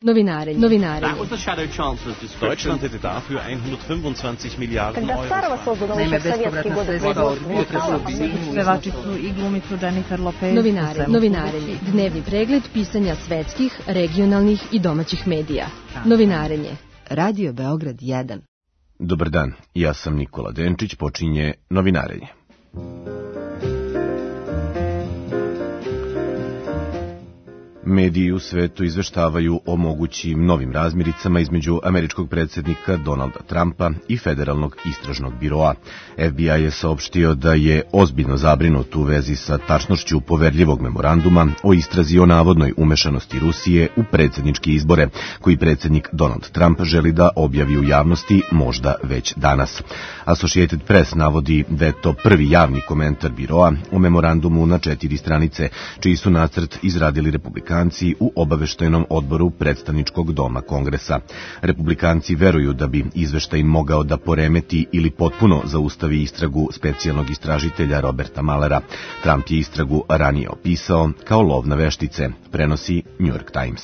Novinarenje. Deutschland hätte dafür 125 Miliarden Euro. Naime, bespovratna sredstva od budžeta su pevačicu i glumicu Jennifer Lopez. Novinarenje. Dnevni pregled pisanja svetskih, regionalnih i domaćih medija. Novinarenje. Radio Beograd 1. Dobar dan, ja sam Nikola Denčić, počinje Novinarenje. Mediji u svetu izveštavaju o mogućim novim razmiricama između američkog predsjednika Donalda Trumpa i Federalnog istražnog biroa. FBI je saopštio da je ozbiljno zabrinut u vezi sa tačnošću poverljivog memoranduma o istrazi o navodnoj umešanosti Rusije u predsjedničke izbore, koji predsjednik Donald Trump želi da objavi u javnosti možda već danas. Associated Press navodi da je to prvi javni komentar biroa o memorandumu na 4 stranice, čiji su nacrt izradili republikanci u obaveštajnom odboru predstavničkog doma Kongresa. Republikanci veruju da bi izveštaj mogao da poremeti ili potpuno zaustavi istragu specijalnog istražitelja Roberta Muellera. Trump je istragu ranije opisao kao lov na veštice, prenosi New York Times.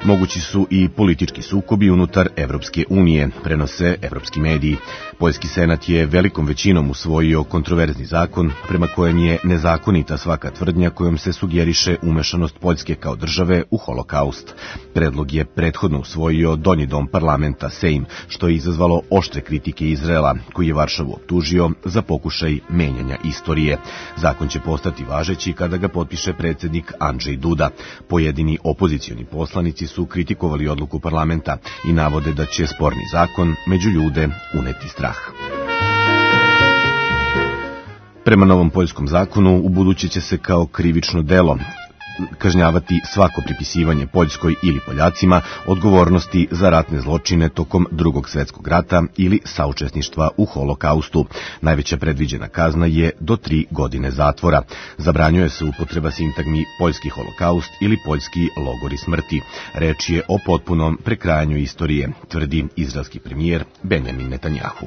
Mogući su i politički sukobi unutar Evropske unije, prenose evropski mediji. Poljski senat je velikom većinom usvojio kontroverzni zakon prema kojem je nezakonita svaka tvrdnja kojom se sugeriše umešanost Poljske kao države u holokaust. Predlog je prethodno usvojio donji dom parlamenta Sejm, što je izazvalo oštre kritike Izraela, koji je Varšavu optužio za pokušaj menjanja istorije. Zakon će postati važeći kada ga potpiše predsjednik Andrzej Duda. Pojedini opozicioni poslanici su kritikovali odluku parlamenta i navode da će sporni zakon među ljude uneti strah. Prema novom poljskom zakonu, ubuduće će se kao krivično delo kažnjavati svako pripisivanje Poljskoj ili Poljacima odgovornosti za ratne zločine tokom Drugog svjetskog rata ili saučesništva u holokaustu. Najveća predviđena kazna je do 3 godine zatvora. Zabranjuje se upotreba sintagmi poljski holokaust ili poljski logori smrti. Reč je o potpunom prekrajanju istorije, tvrdi izraelski premijer Benjamin Netanjahu.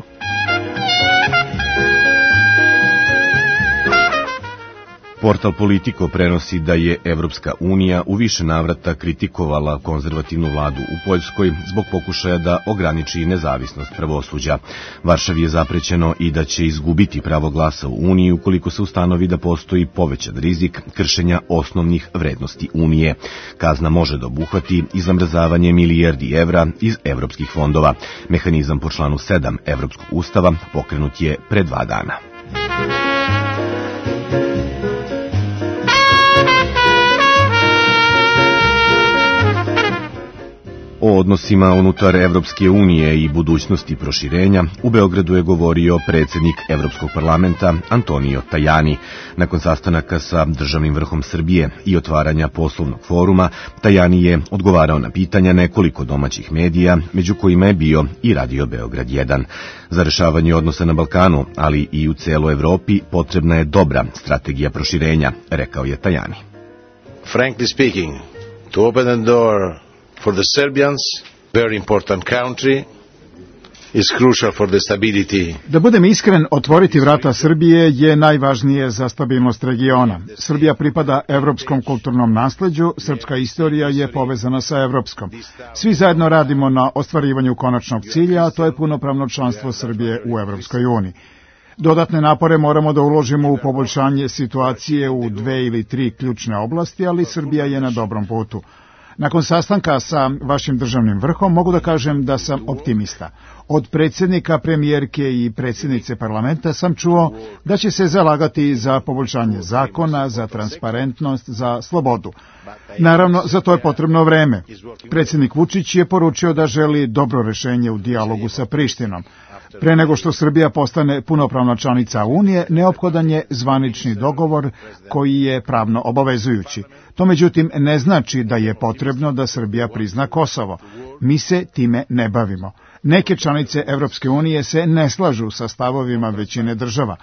Portal Politico prenosi da je Evropska unija u više navrata kritikovala konzervativnu vladu u Poljskoj zbog pokušaja da ograniči nezavisnost pravosuđa. Varšavi je zaprećeno i da će izgubiti pravo glasa u Uniji ukoliko se ustanovi da postoji povećan rizik kršenja osnovnih vrednosti Unije. Kazna može da obuhvati i zamrzavanje milijardi evra iz evropskih fondova. Mehanizam po članu 7 Evropskog ustava pokrenut je pre 2 dana. O odnosima unutar Evropske unije i budućnosti proširenja u Beogradu je govorio predsjednik Evropskog parlamenta Antonio Tajani. Nakon sastanaka sa državnim vrhom Srbije i otvaranja poslovnog foruma, Tajani je odgovarao na pitanja nekoliko domaćih medija, među kojima je bio i Radio Beograd 1. Za rešavanje odnosa na Balkanu, ali i u celoj Evropi, potrebna je dobra strategija proširenja, rekao je Tajani. Frankly speaking, to open the door for the Serbians, very important country, is crucial for the stability. Da budem iskren, otvoriti vrata Srbije je najvažnije za stabilnost regiona. Srbija pripada evropskom kulturnom nasleđu, srpska istorija je povezana sa evropskom. Svi zajedno radimo na ostvarivanju konačnog cilja, a to je punopravno članstvo Srbije u Evropskoj uniji. Dodatne napore moramo da uložimo u poboljšanje situacije u 2 ili 3 ključne oblasti, ali Srbija je na dobrom putu. Nakon sastanka sa vašim državnim vrhom mogu da kažem da sam optimista. Od predsjednika, premijerke i predsjednice parlamenta sam čuo da će se zalagati za poboljšanje zakona, za transparentnost, za slobodu. Naravno, za to je potrebno vreme. Predsjednik Vučić je poručio da želi dobro rešenje u dijalogu sa Prištinom. Pre nego što Srbija postane punopravna članica Unije, neophodan je zvanični dogovor koji je pravno obavezujući. To međutim ne znači da je potrebno da Srbija prizna Kosovo. Mi se time ne bavimo. Neke članice Evropske unije se ne slažu sa stavovima većine država.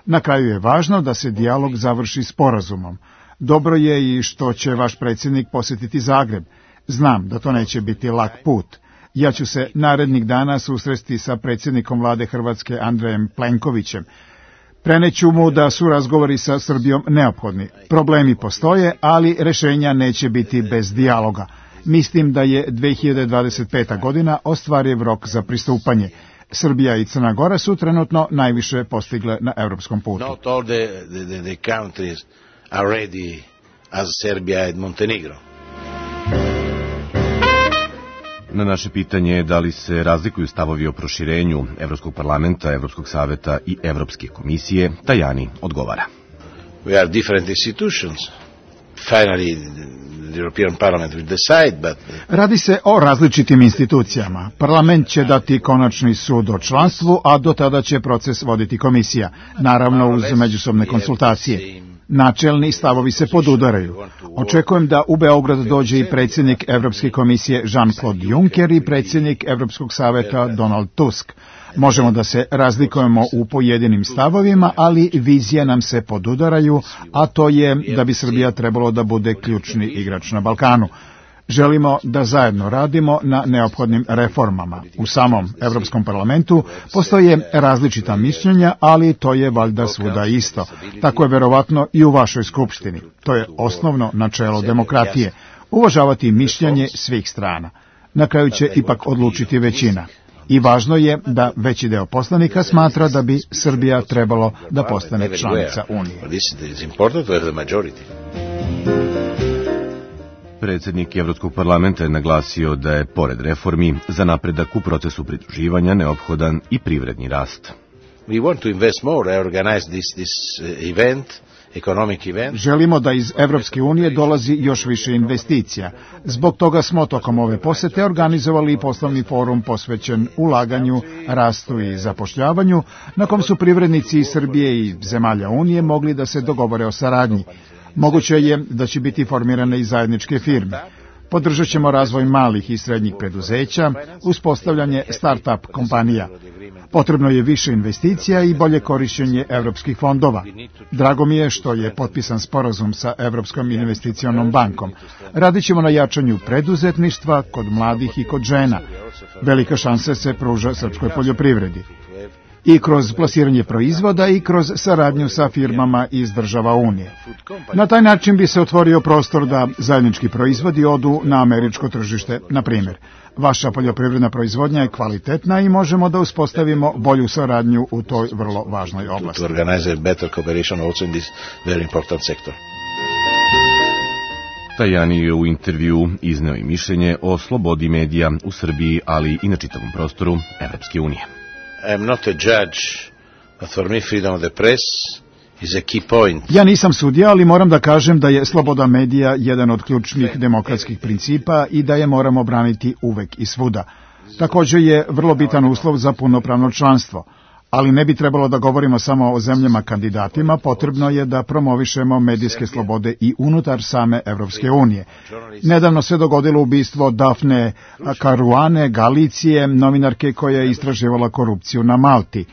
Na kraju je važno da se dijalog završi sporazumom. Dobro je i što će vaš predsjednik posjetiti Zagreb. Znam da to neće biti lak put. Ja ću se narednih dana susresti sa predsjednikom vlade Hrvatske Andrejem Plenkovićem. Preneću mu da su razgovori sa Srbijom neophodni. Problemi postoje, ali rešenja neće biti bez dijaloga. Mislim da je 2025. godina ostvariv rok za pristupanje. Srbija i Crna Gora su trenutno najviše postigle na evropskom putu. Not all the countries are ready as Serbia and Montenegro. Na naše pitanje da li se razlikuju stavovi o proširenju Evropskog parlamenta, Evropskog saveta i Evropske komisije, Tajani odgovara. We are different institutions. Finally, the European Parliament will decide, but... Radi se o različitim institucijama. Parlament će dati konačni sud o članstvu, a do tada će proces voditi komisija, naravno uz međusobne konsultacije. Načelni stavovi se podudaraju. Očekujem da u Beograd dođe i predsjednik Evropske komisije Jean-Claude Juncker i predsjednik Evropskog saveta Donald Tusk. Možemo da se razlikujemo u pojedinim stavovima, ali vizije nam se podudaraju, a to je da bi Srbija trebalo da bude ključni igrač na Balkanu. Želimo da zajedno radimo na neophodnim reformama. U samom Evropskom parlamentu postoje različita mišljenja, ali to je valjda svuda isto. Tako je verovatno i u vašoj skupštini. To je osnovno načelo demokratije. Uvažavati mišljenje svih strana. Na kraju će ipak odlučiti većina. I važno je da veći deo poslanika smatra da bi Srbija trebalo da postane članica Unije. Predsjednik Evropskog parlamenta je naglasio da je, pored reformi, za napredak u procesu pridruživanja neophodan i privredni rast. We want to invest more. I organize this event. Želimo da iz Evropske unije dolazi još više investicija. Zbog toga smo tokom ove posete organizovali poslovni forum posvećen ulaganju, rastu i zapošljavanju, na kom su privrednici iz Srbije i zemalja Unije mogli da se dogovore o saradnji. Moguće je da će biti formirane i zajedničke firme. Podržat ćemo razvoj malih i srednjih preduzeća, uspostavljanje start-up kompanija. Potrebno je više investicija i bolje korišćenje evropskih fondova. Drago mi je što je potpisan sporazum sa Evropskom investicionom bankom. Radit ćemo na jačanju preduzetništva kod mladih i kod žena. Velika šansa se pruža srpskoj poljoprivredi. I kroz plasiranje proizvoda i kroz saradnju sa firmama iz država Unije. Na taj način bi se otvorio prostor da zajednički proizvodi odu na američko tržište. Na primjer, vaša poljoprivredna proizvodnja je kvalitetna i možemo da uspostavimo bolju saradnju u toj vrlo važnoj oblasti. Tajani je u intervju izneo i mišljenje o slobodi medija u Srbiji, ali i na čitavom prostoru Evropske unije. I am not a judge, but for me freedom of the press is a key point. Ja nisam sudija, ali moram da kažem da je sloboda medija jedan od ključnih demokratskih principa i da je moramo braniti uvek i svuda. Također je vrlo bitan uslov za punopravno članstvo. Ali ne bi trebalo da govorimo samo o zemljama kandidatima, potrebno je da promovišemo medijske slobode i unutar same Evropske unije. Nedavno se dogodilo ubistvo Dafne Caruane Galicije, novinarke koja je istraživala korupciju na Malti.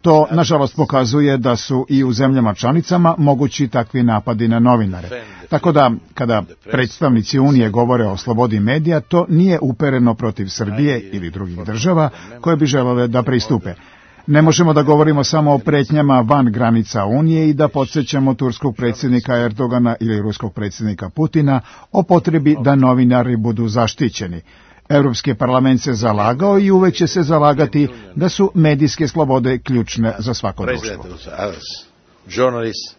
To, nažalost, pokazuje da su i u zemljama članicama mogući takvi napadi na novinare. Tako da, kada predstavnici Unije govore o slobodi medija, to nije upereno protiv Srbije ili drugih država koje bi želele da pristupe. Ne možemo da govorimo samo o pretnjama van granica Unije i da podsjećamo turskog predsjednika Erdogana ili ruskog predsjednika Putina o potrebi da novinari budu zaštićeni. Evropski parlament se zalagao i uvek će se zalagati da su medijske slobode ključne za svako društvo. Journalists,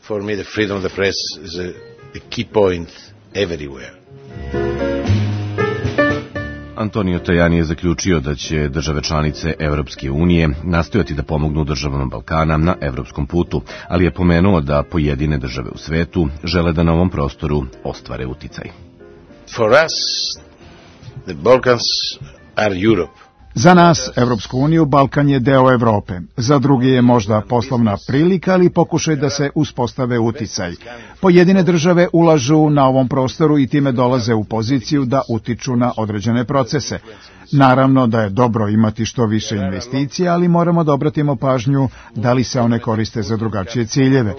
for me the freedom of the press is a key point everywhere. Antonio Tajani je zaključio da će države članice Evropske unije nastojati da pomognu državama Balkana na evropskom putu, ali je pomenuo da pojedine države u svetu žele da na ovom prostoru ostvare uticaj. For us, the Balkans are Europe. Za nas, Evropsku uniju, Balkan je deo Evrope. Za druge je možda poslovna prilika, ali pokušaj da se uspostave uticaj. Pojedine države ulažu na ovom prostoru i time dolaze u poziciju da utiču na određene procese. Naravno da je dobro imati što više investicija, ali moramo da obratimo pažnju da li se one koriste za drugačije ciljeve.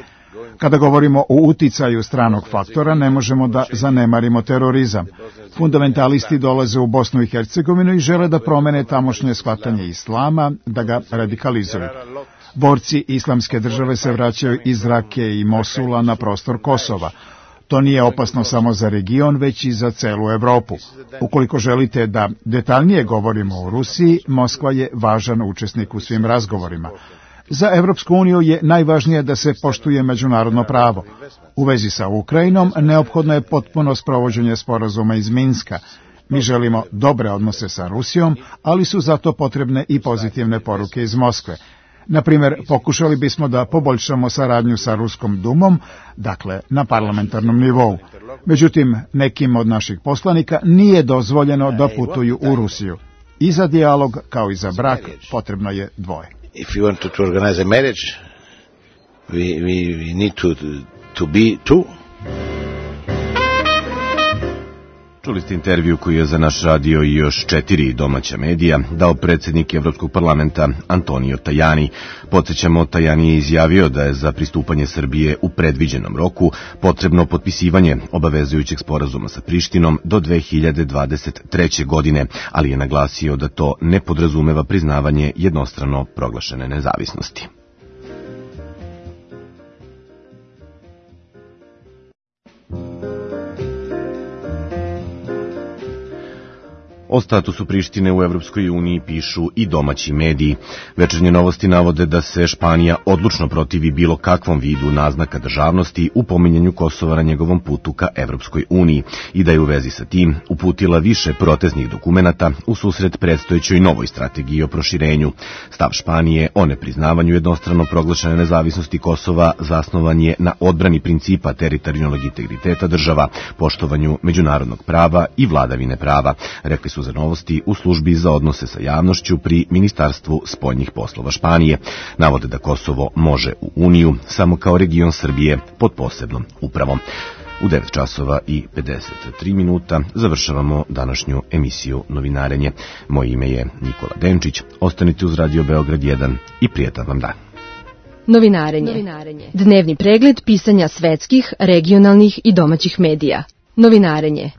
Kada govorimo o uticaju stranog faktora, ne možemo da zanemarimo terorizam. Fundamentalisti dolaze u Bosnu i Hercegovinu i žele da promene tamošnje shvatanje islama, da ga radikalizuju. Borci Islamske države se vraćaju iz Rake i Mosula na prostor Kosova. To nije opasno samo za region, već i za celu Evropu. Ukoliko želite da detaljnije govorimo o Rusiji, Moskva je važan učesnik u svim razgovorima. Za Evropsku uniju je najvažnije da se poštuje međunarodno pravo. U vezi sa Ukrajinom neophodno je potpuno sprovođenje sporazuma iz Minska. Mi želimo dobre odnose sa Rusijom, ali su zato potrebne i pozitivne poruke iz Moskve. Na primjer, pokušali bismo da poboljšamo saradnju sa Ruskom dumom, dakle na parlamentarnom nivou. Međutim, nekim od naših poslanika nije dozvoljeno da putuju u Rusiju. I za dijalog, kao i za brak, potrebno je dvoje. If you want to organize a marriage, we need to be two. Čuli ste intervju koji je za naš radio i još 4 domaća medija dao predsjednik Evropskog parlamenta Antonio Tajani. Podsjećamo, Tajani je izjavio da je za pristupanje Srbije u predviđenom roku potrebno potpisivanje obavezujućeg sporazuma sa Prištinom do 2023. godine, ali je naglasio da to ne podrazumeva priznavanje jednostrano proglašene nezavisnosti. O statusu Prištine u Evropskoj uniji pišu i domaći mediji. Večernje novosti navode da se Španija odlučno protivi bilo kakvom vidu naznaka državnosti u pominjanju Kosova na njegovom putu ka Evropskoj uniji i da je u vezi sa tim uputila više protestnih dokumenata u susret predstojećoj novoj strategiji o proširenju. Stav Španije o nepriznavanju jednostrano proglašene nezavisnosti Kosova zasnovan je na odbrani principa teritorijalnog integriteta država, poštovanju međunarodnog prava i vladavine prava, rekli su za novosti u službi za odnose sa javnošću pri Ministarstvu spoljnih poslova Španije. Navode da Kosovo može u Uniju samo kao region Srbije pod posebnom upravom. U 9 časova i 53 minuta završavamo današnju emisiju Novinarenje. Moje ime je Nikola Denčić. Ostanite uz Radio Beograd 1 i prijetan vam dan. Novinarenje. Dnevni pregled pisanja svetskih, regionalnih i domaćih medija. Novinarenje.